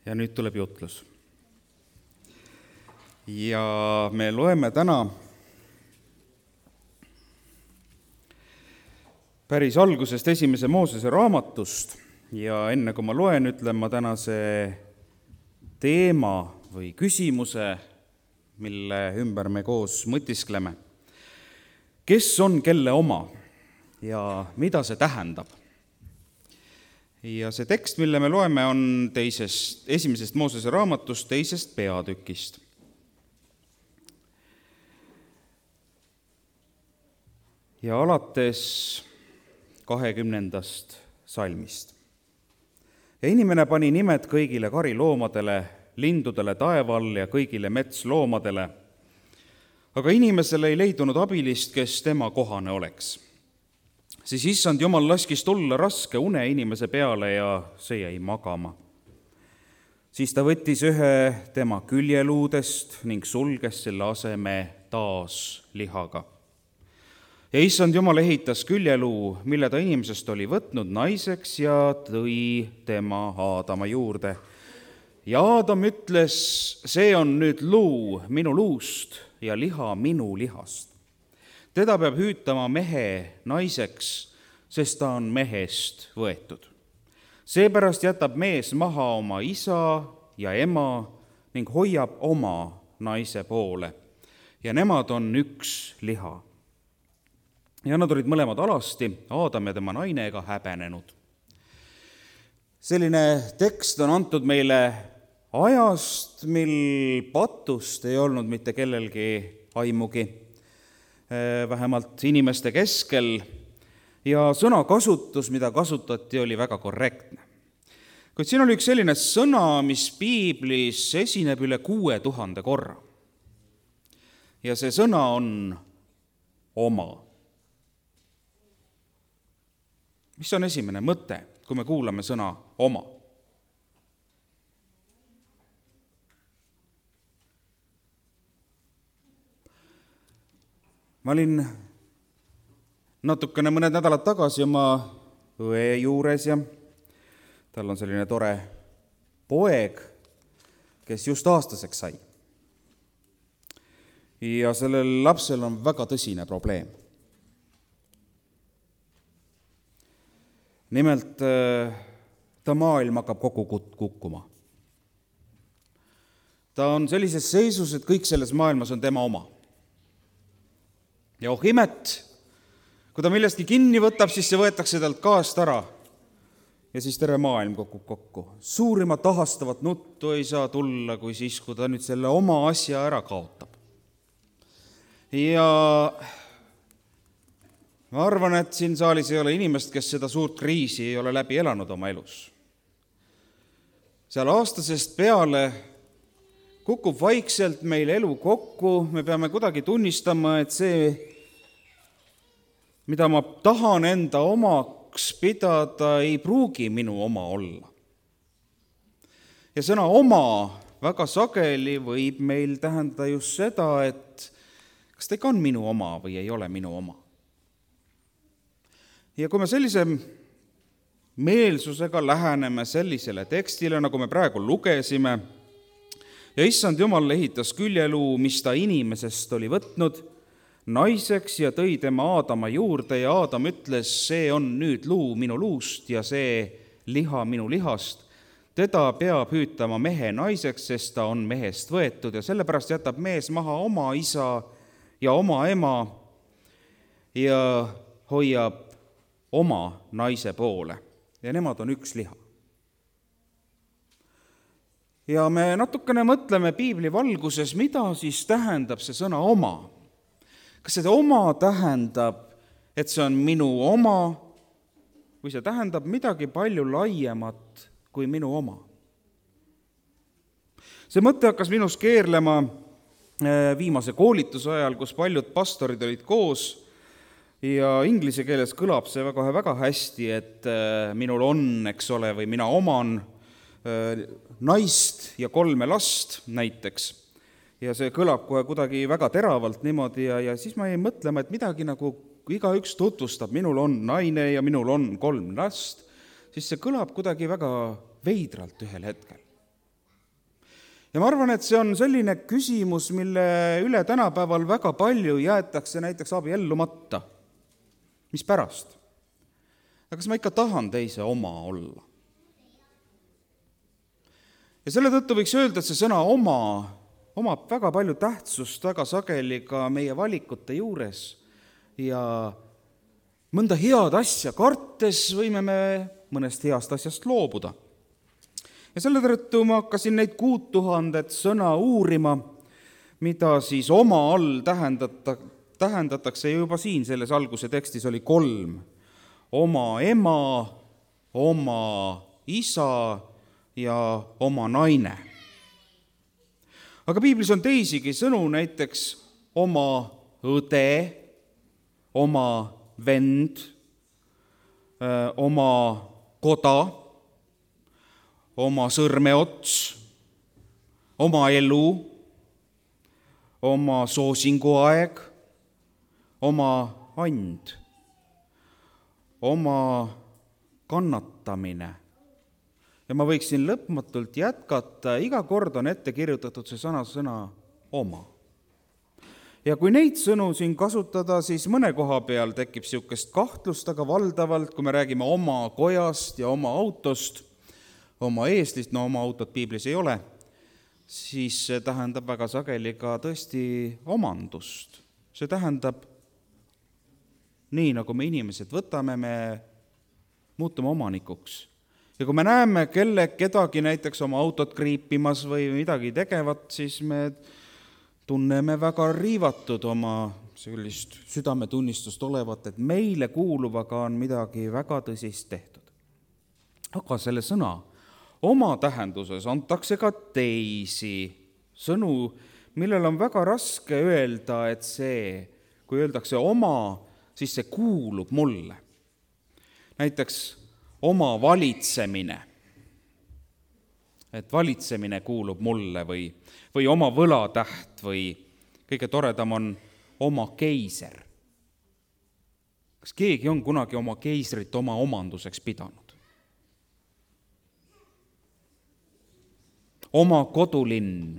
Ja nüüd tuleb jutlus. Ja me loeme täna päris algusest 1. Moosese raamatust ja enne kui ma loen, ütlen ma tänase teema või küsimuse, mille ümber me koos mõtiskleme. Kes on kelle oma ja mida see tähendab? Ja see tekst, mille me loeme, on 1. Moosese raamatust 2. peatükist. Ja alates 20. salmist. Ja inimene pani nimed kõigile kariloomadele, lindudele taeval ja kõigile metsloomadele, aga inimesele ei leidunud abilist, kes tema kohane oleks. Siis issand Jumal laskis tulla raske une inimese peale ja see jäi magama. Siis ta võttis ühe tema küljeluudest ning sulges selle aseme taas lihaga. Ja issand Jumal ehitas küljeluu, mille ta inimesest oli võtnud naiseks ja tõi tema Aadama juurde. Ja Aadam ütles, see on nüüd luu minu luust ja liha minu lihast. Teda peab hüütama mehe naiseks, sest ta on mehest võetud. Seepärast jätab mees maha oma isa ja ema ning hoiab oma naise poole. Ja nemad on üks liha. Ja nad olid mõlemad alasti, Aadam ja tema naine ega häbenenud. Selline tekst on antud meile ajast, mil patust ei olnud mitte kellelgi aimugi, vähemalt inimeste keskel, ja sõnakasutus, mida kasutati, oli väga korrektne. Kuid siin oli üks selline sõna, mis piiblis esineb üle 6000 korra. Ja see sõna on oma. Mis on esimene mõte, kui me kuulame sõna oma? Ma olin natukene mõned nädalad tagasi oma õe juures ja tal on selline tore poeg, kes just aastaseks sai. Ja sellel lapsel on väga tõsine probleem. Nimelt ta maailm hakkab kokku kukkuma. Ta on sellises seisus, et kõik selles maailmas on tema oma. Ja imet, kui ta millestki kinni võtab, siis see võetakse talt kaast ära ja siis terve maailm kokku. Suurimat ahastavat nuttu ei saa tulla, kui siis, kui ta nüüd selle oma asja ära kaotab. Ja ma arvan, et siin saalis ei ole inimest, kes seda suurt kriisi ei ole läbi elanud oma elus. Seal aastasest peale kukub vaikselt meil elu kokku, me peame kuidagi tunnistama, et see, mida ma tahan enda omaks pidada, ei pruugi minu oma olla. Ja sõna oma väga sageli võib meil tähendada just seda, et kas ta ikka on minu oma või ei ole minu oma. Ja kui me sellise meelsusega läheneme sellisele tekstile, nagu me praegu lugesime, ja issand Jumal ehitas küljeluu, mis ta inimesest oli võtnud naiseks ja tõi tema Aadama juurde ja Aadam ütles, see on nüüd luu minu luust ja see liha minu lihast. Teda peab hüütama mehe naiseks, sest ta on mehest võetud ja sellepärast jätab mees maha oma isa ja oma ema ja hoiab oma naise poole ja nemad on üks liha. Ja me natukene mõtleme piibli valguses, mida siis tähendab see sõna oma. Kas see oma tähendab, et see on minu oma, või see tähendab midagi palju laiemat kui minu oma? See mõte hakkas minus keerlema viimase koolituse ajal, kus paljud pastorid olid koos ja inglise keeles kõlab see väga hästi, et minul on, eks ole, või mina oman naist ja 3 last näiteks. Ja see kõlab kohe kuidagi väga teravalt niimoodi ja siis ma jäin mõtlema, et midagi nagu igaüks tutvustab, minul on naine ja minul on 3 last, siis see kõlab kuidagi väga veidralt ühel hetkel. Ja ma arvan, et see on selline küsimus, mille üle tänapäeval väga palju jäetakse näiteks abiellumata. Mis pärast? Aga kas ma ikka tahan teise oma olla? Ja selle tõttu võiks öelda, et see sõna oma omab väga palju tähtsust väga sageli ka meie valikute juures ja mõnda head asja kartes võime me mõnest heast asjast loobuda. Ja selle tõttu ma hakkasin neid 6000 sõna uurima, mida siis oma all tähendatakse juba siin selles alguse tekstis oli 3. Oma ema, oma isa ja oma naine. Aga piiblis on teisigi sõnu, näiteks oma õde, oma vend, oma koda, oma sõrmeots, oma elu, oma soosinguaeg, oma and, oma kannatamine. Ja ma võiksin lõpmatult jätkata, iga kord on ette kirjutatud see sõna oma. Ja kui neid sõnu siin kasutada, siis mõne koha peal tekib niisugust kahtlust, aga valdavalt, kui me räägime oma kojast ja oma autost, oma eeslist, oma autot piiblis ei ole, siis see tähendab väga sageli ka tõesti omandust. See tähendab, nii nagu me inimesed võtame, me muutume omanikuks. Ja kui me näeme kedagi näiteks oma autot kriipimas või midagi tegevat, siis me tunneme väga riivatud oma sellist südametunnistust olevat, et meile kuuluvaga on midagi väga tõsist tehtud. Aga selle sõna oma tähenduses antakse ka teisi sõnu, millel on väga raske öelda, et see, kui öeldakse oma, siis see kuulub mulle. Näiteks oma valitsemine, et valitsemine kuulub mulle või oma võlatäht või kõige toredam on oma keiser. Kas keegi on kunagi oma keisrit oma omanduseks pidanud? Oma kodulinn.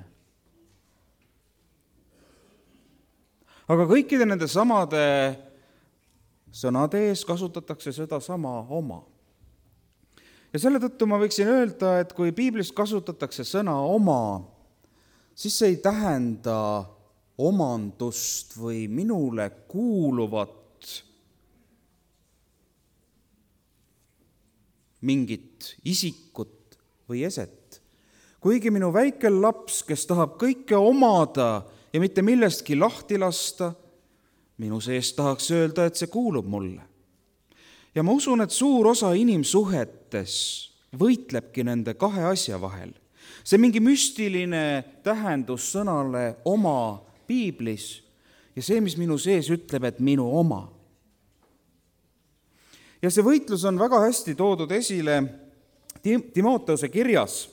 Aga kõikide nende samade sõnade ees kasutatakse seda sama oma. Ja selle tõttu ma võiksin öelda, et kui piiblis kasutatakse sõna oma, siis see ei tähenda omandust või minule kuuluvat mingit isikut või eset. Kuigi minu väike laps, kes tahab kõike omada ja mitte millestki lahti lasta, minu sees tahaks öelda, et see kuulub mulle. Ja ma usun, et suur osa inimsuhetes võitlebki nende kahe asja vahel. See mingi müstiline tähendus sõnale oma piiblis ja see, mis minu sees ütleb, et minu oma. Ja see võitlus on väga hästi toodud esile Timoteuse kirjas.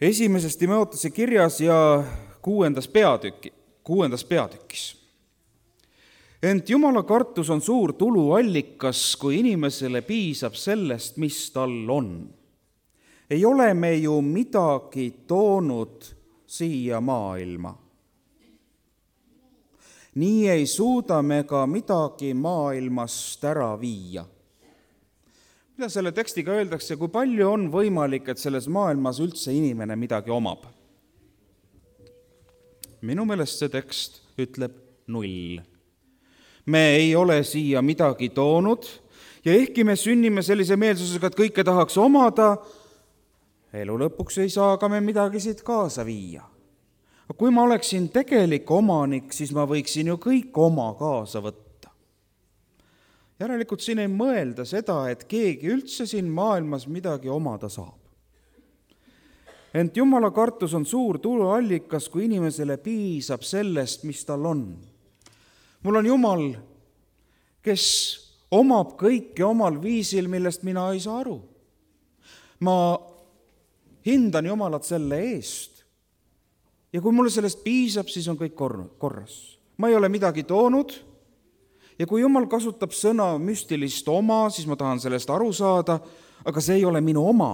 1. Timoteuse kirjas ja 6. peatükis. Ent Jumala kartus on suur tuluallikas, kui inimesele piisab sellest, mis tal on. Ei ole me ju midagi toonud siia maailma. Nii ei suuda me ka midagi maailmast ära viia. Mida selle tekstiga öeldakse, kui palju on võimalik, et selles maailmas üldse inimene midagi omab? Minu meelest see tekst ütleb 0. Me ei ole siia midagi toonud ja ehkki me sünnime sellise meelsusega, et kõike tahaks omada, elu lõpuks ei saa ka me midagi siit kaasa viia. Aga kui ma oleksin tegelik omanik, siis ma võiksin ju kõik oma kaasa võtta. Järelikult siin ei mõelda seda, et keegi üldse siin maailmas midagi omada saab. Ent Jumala kartus on suur tuluallikas, kui inimesele piisab sellest, mis tal on. Mul on Jumal, kes omab kõike omal viisil, millest mina ei saa aru. Ma hindan Jumalat selle eest. Ja kui mulle sellest piisab, siis on kõik korras. Ma ei ole midagi toonud. Ja kui Jumal kasutab sõna müstilist oma, siis ma tahan sellest aru saada, aga see ei ole minu oma.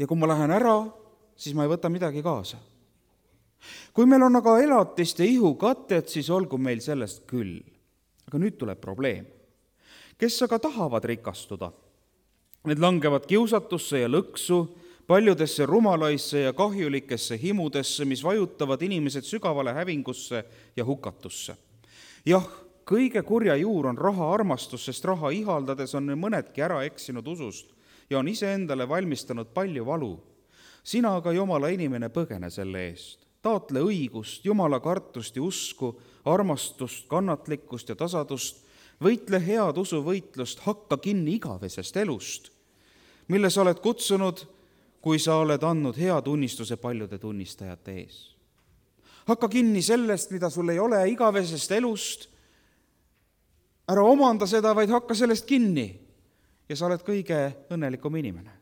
ja kui ma lähen ära, siis ma ei võta midagi kaasa. Kui meil on aga elatist ja ihukatet, siis olgu meil sellest küll. Aga nüüd tuleb probleem. Kes aga tahavad rikastuda? Need langevad kiusatusse ja lõksu, paljudesse rumalaisse ja kahjulikesse himudesse, mis vajutavad inimesed sügavale hävingusse ja hukatusse. Jah, kõige kurja juur on raha armastus, sest raha ihaldades on mõnedki ära eksinud usust ja on iseendale valmistanud palju valu. Sina aga, Jumala inimene, põgene selle eest. Taotle õigust, Jumala kartust ja usku, armastust, kannatlikkust ja tasadust, võitle head usuvõitlust, hakka kinni igavesest elust, mille sa oled kutsunud, kui sa oled andnud hea tunnistuse paljude tunnistajate ees. Hakka kinni sellest, mida sul ei ole, igavesest elust, ära omanda seda, vaid hakka sellest kinni ja sa oled kõige õnnelikum inimene.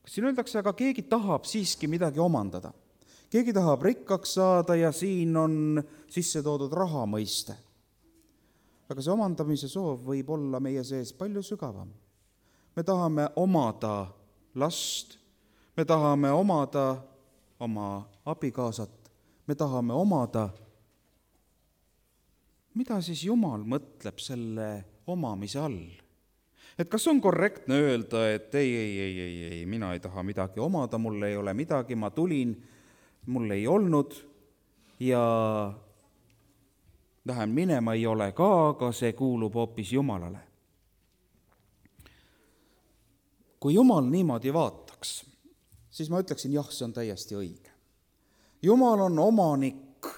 Siin öeldakse, aga keegi tahab siiski midagi omandada. Keegi tahab rikkaks saada ja siin on sisse toodud raha mõiste. Aga see omandamise soov võib olla meie sees palju sügavam. Me tahame omada last, me tahame omada oma abikaasat, me tahame omada. Mida siis Jumal mõtleb selle omamise all? Et kas on korrektne öelda, et ei, mina ei taha midagi omada, mul ei ole midagi, ma tulin, mul ei olnud ja lähen minema, ei ole ka, aga see kuulub hoopis Jumalale. Kui Jumal niimoodi vaataks, siis ma ütleksin, jah, see on täiesti õige. Jumal on omanik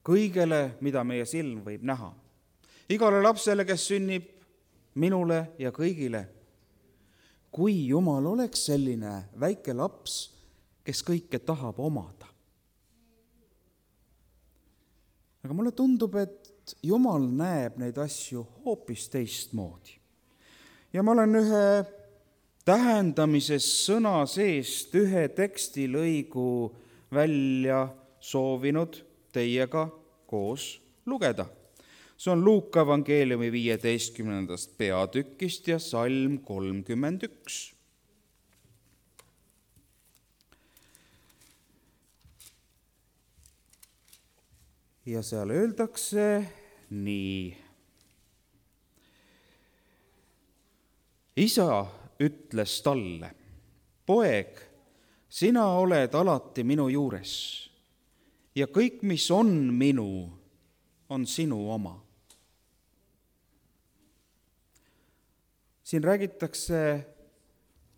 kõigele, mida meie silm võib näha. Igale lapsele, kes sünnib, minule ja kõigile. Kui Jumal oleks selline väike laps, kes kõike tahab omada. Aga mulle tundub, et Jumal näeb neid asju hoopis teistmoodi. Ja ma olen ühe tähendamises sõna seest ühe tekstilõigu välja soovinud teiega koos lugeda. See on Luuka evangeeliumi 15. peatükist ja salm 31. Ja seal öeldakse nii. Isa ütles talle, poeg, sina oled alati minu juures ja kõik, mis on minu, on sinu oma. Siin räägitakse,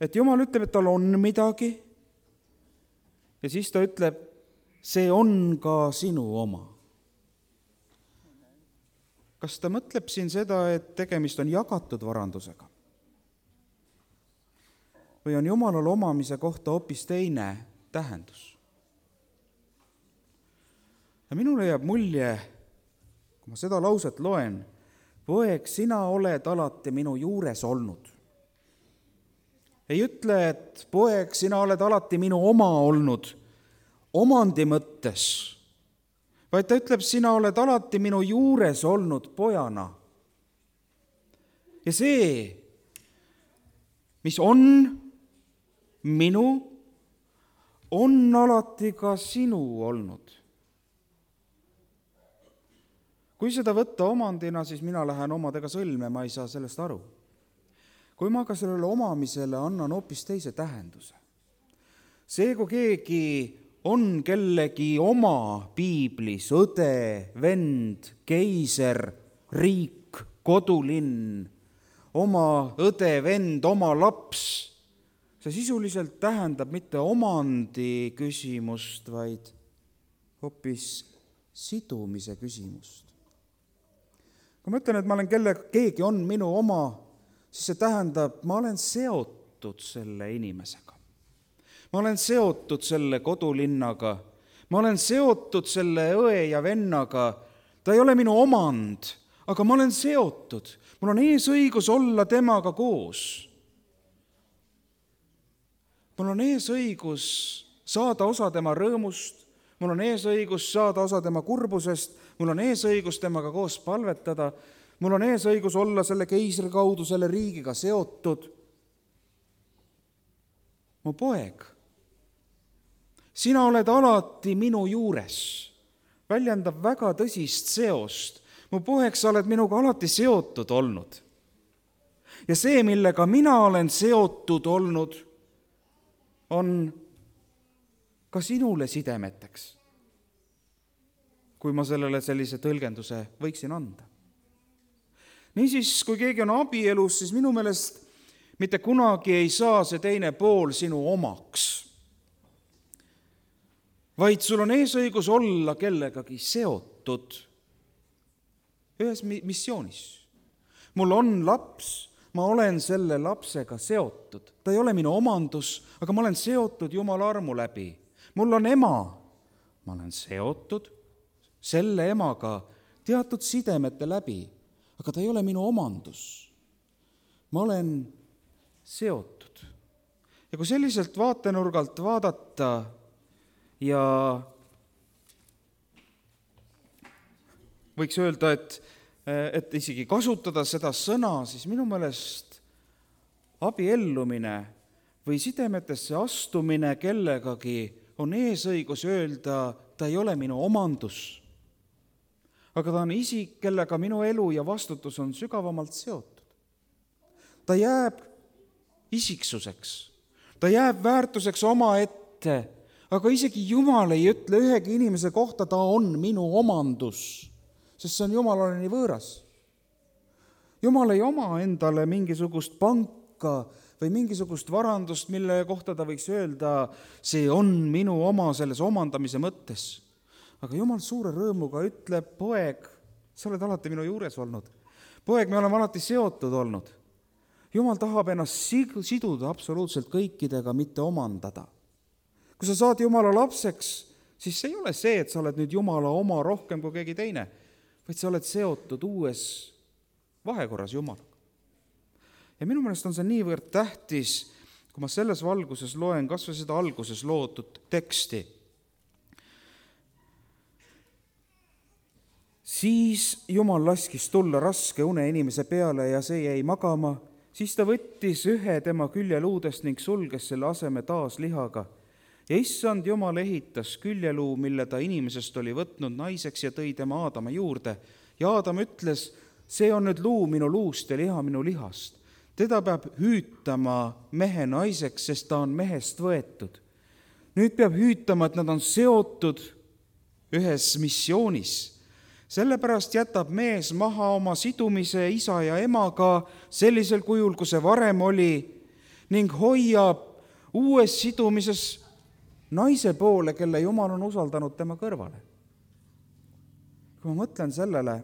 et Jumal ütleb, et tal on midagi ja siis ta ütleb, see on ka sinu oma. Kas ta mõtleb siin seda, et tegemist on jagatud varandusega? Või on Jumalal omamise kohta hoopis teine tähendus? Ja minule jääb mulje, kui ma seda lauset loen, poeg, sina oled alati minu juures olnud. Ei ütle, et poeg, sina oled alati minu oma olnud omandi mõttes, vaid ta ütleb, sina oled alati minu juures olnud pojana. Ja see, mis on minu, on alati ka sinu olnud. Kui seda võtta omandina, siis mina lähen omadega sõlme, ma ei saa sellest aru. Kui ma ka sellele omamisele annan hoopis teise tähenduse. See, kui keegi on kellegi oma piiblis, õde, vend, keiser, riik, kodulinn, oma õde, vend, oma laps, see sisuliselt tähendab mitte omandi küsimust, vaid hoopis sidumise küsimust. Kui ma ütlen, et ma olen keegi on minu oma, siis see tähendab, ma olen seotud selle inimesega. Ma olen seotud selle kodulinnaga, ma olen seotud selle õe ja vennaga, ta ei ole minu omand, aga ma olen seotud, mul on eesõigus olla temaga koos. Mul on eesõigus saada osa tema rõõmust, mul on eesõigus saada osa tema kurbusest, mul on eesõigus temaga koos palvetada, mul on eesõigus olla selle keisri kaudu selle riigiga seotud. Mu poeg sina oled alati minu juures, väljendab väga tõsist seost. Mu poeg, sa oled minuga alati seotud olnud. Ja see, millega mina olen seotud olnud, on ka sinule sidemeteks, kui ma sellele sellise tõlgenduse võiksin anda. Niisiis, kui keegi on abielus, siis minu meelest mitte kunagi ei saa see teine pool sinu omaks, vaid sul on eesõigus olla kellegagi seotud ühes missioonis. Mul on laps, ma olen selle lapsega seotud. Ta ei ole minu omandus, aga ma olen seotud Jumala armu läbi. Mul on ema, ma olen seotud selle emaga teatud sidemete läbi, aga ta ei ole minu omandus. Ma olen seotud. Ja kui selliselt vaatenurgalt vaadata ja võiks öelda, et isegi kasutada seda sõna, siis minu meelest abiellumine või sidemetesse astumine kellegagi on eesõigus öelda, ta ei ole minu omandus, aga ta on isik, kellega minu elu ja vastutus on sügavamalt seotud. Ta jääb isiksuseks, ta jääb väärtuseks omaette, aga isegi Jumal ei ütle ühegi inimese kohta, ta on minu omandus, sest see on Jumalale nii võõras. Jumal ei oma endale mingisugust panka või mingisugust varandust, mille kohta ta võiks öelda, see on minu oma selles omandamise mõttes. Aga Jumal suure rõõmuga ütleb, poeg, sa oled alati minu juures olnud. Poeg, me oleme alati seotud olnud. Jumal tahab ennast siduda absoluutselt kõikidega, mitte omandada. Kui sa saad Jumala lapseks, siis see ei ole see, et sa oled nüüd Jumala oma rohkem kui keegi teine, vaid sa oled seotud uues vahekorras Jumalaga. Ja minu meelest on see niivõrd tähtis, kui ma selles valguses loen kas või seda alguses loodud teksti. Siis Jumal laskis tulla raske une inimese peale ja see jäi magama. Siis ta võttis ühe tema küljeluudest ning sulges selle aseme taas lihaga. Ja issand Jumal ehitas küljeluu, mille ta inimesest oli võtnud naiseks ja tõi tema Aadama juurde. Ja Aadam ütles, see on nüüd luu minu luust ja liha minu lihast. Teda peab hüütama mehe naiseks, sest ta on mehest võetud. Nüüd peab hüütama, et nad on seotud ühes missioonis. Sellepärast jätab mees maha oma sidumise isa ja emaga sellisel kujul, kui see varem oli, ning hoiab uues sidumises naise poole, kelle Jumal on usaldanud tema kõrvale. Kui ma mõtlen sellele,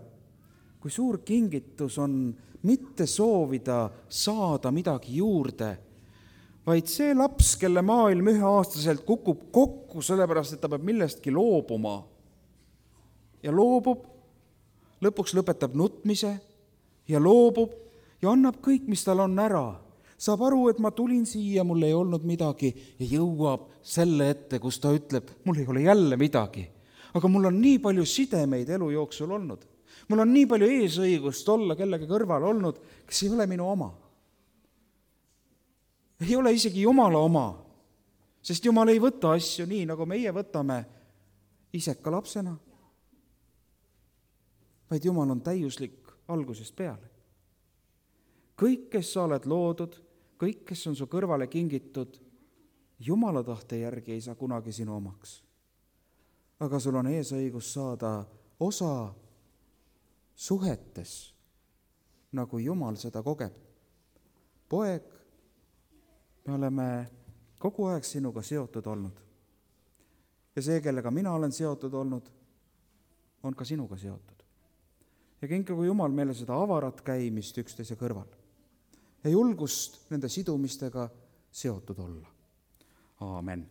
kui suur kingitus on mitte soovida saada midagi juurde, vaid see laps, kelle maailm 1-aastaselt kukub kokku, sellepärast, et ta peab millestki loobuma ja loobub, lõpuks lõpetab nutmise ja loobub ja annab kõik, mis tal on ära. Saab aru, et ma tulin siia, mul ei olnud midagi ja jõuab selle ette, kus ta ütleb, mul ei ole jälle midagi. Aga mul on nii palju sidemeid elu jooksul olnud. Mul on nii palju eesõigust olla kellegi kõrval olnud, kes ei ole minu oma. Ei ole isegi Jumala oma, sest Jumal ei võta asju nii, nagu meie võtame iseka lapsena, vaid Jumal on täiuslik algusest peale. Kõik, kes sa oled loodud, kõik, kes on su kõrvale kingitud, Jumala tahte järgi ei saa kunagi sinu omaks. Aga sul on eesõigus saada osa suhetes, nagu Jumal seda kogeb. Poeg, me oleme kogu aeg sinuga seotud olnud. Ja see, kellega mina olen seotud olnud, on ka sinuga seotud. Ja kinkigu Jumal meile seda avarat käimist üksteise kõrval ja julgust nende sidumistega seotud olla. Aamen.